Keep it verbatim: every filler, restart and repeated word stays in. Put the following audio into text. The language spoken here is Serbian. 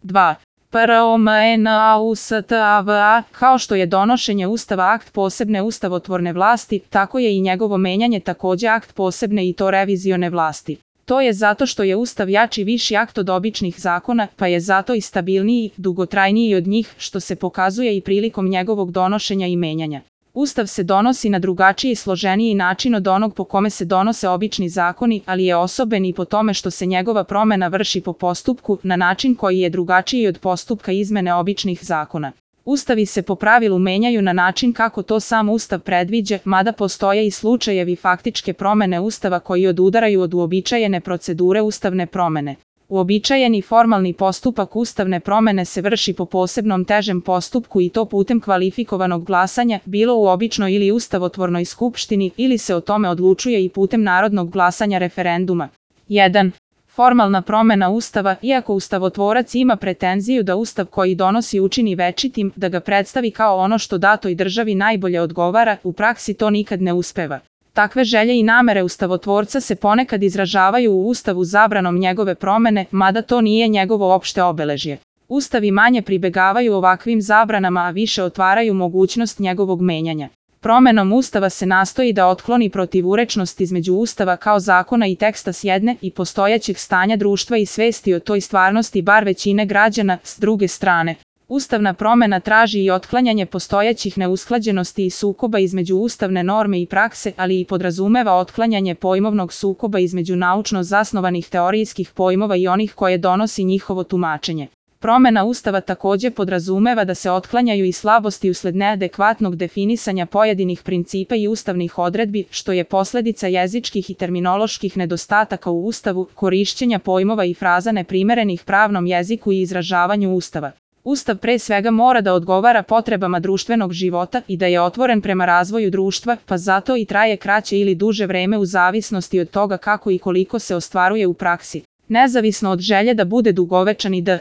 dva. Promena kao što je donošenje Ustava akt posebne ustavotvorne vlasti, tako je i njegovo menjanje takođe akt posebne i to revizione vlasti. To je zato što je Ustav jači viši akt od običnih zakona, pa je zato i stabilniji, dugotrajniji od njih, što se pokazuje i prilikom njegovog donošenja i menjanja. Ustav se donosi na drugačiji i složeniji način od onog po kome se donose obični zakoni, ali je osoben i po tome što se njegova promena vrši po postupku, na način koji je drugačiji od postupka izmene običnih zakona. Ustavi se po pravilu menjaju na način kako to sam Ustav predviđa, mada postoje i slučajevi faktičke promene Ustava koji odudaraju od uobičajene procedure ustavne promene. Uobičajeni formalni postupak ustavne promene se vrši po posebnom težem postupku i to putem kvalifikovanog glasanja, bilo u običnoj ili ustavotvornoj skupštini, ili se o tome odlučuje i putem narodnog glasanja referenduma. jedan. Formalna promena Ustava. Iako ustavotvorac ima pretenziju da Ustav koji donosi učini večitim, da ga predstavi kao ono što datoj državi najbolje odgovara, u praksi to nikad ne uspeva. Takve želje i namere ustavotvorca se ponekad izražavaju u Ustavu zabranom njegove promene, mada to nije njegovo opšte obeležje. Ustavi manje pribegavaju ovakvim zabranama, a više otvaraju mogućnost njegovog menjanja. Promenom Ustava se nastoji da otkloni protivurečnost između Ustava kao zakona i teksta s jedne i postojećeg stanja društva i svesti o toj stvarnosti bar većine građana s druge strane. Ustavna promena traži i otklanjanje postojećih neusklađenosti i sukoba između ustavne norme i prakse, ali i podrazumeva otklanjanje pojmovnog sukoba između naučno zasnovanih teorijskih pojmova i onih koje donosi njihovo tumačenje. Promena Ustava takođe podrazumeva da se otklanjaju i slabosti usled neadekvatnog definisanja pojedinih principa i ustavnih odredbi, što je posledica jezičkih i terminoloških nedostataka u Ustavu, korišćenja pojmova i fraza neprimerenih pravnom jeziku i izražavanju Ustava. Ustav pre svega mora da odgovara potrebama društvenog života i da je otvoren prema razvoju društva, pa zato i traje kraće ili duže vreme u zavisnosti od toga kako i koliko se ostvaruje u praksi. Nezavisno od želje da bude dugovečan i da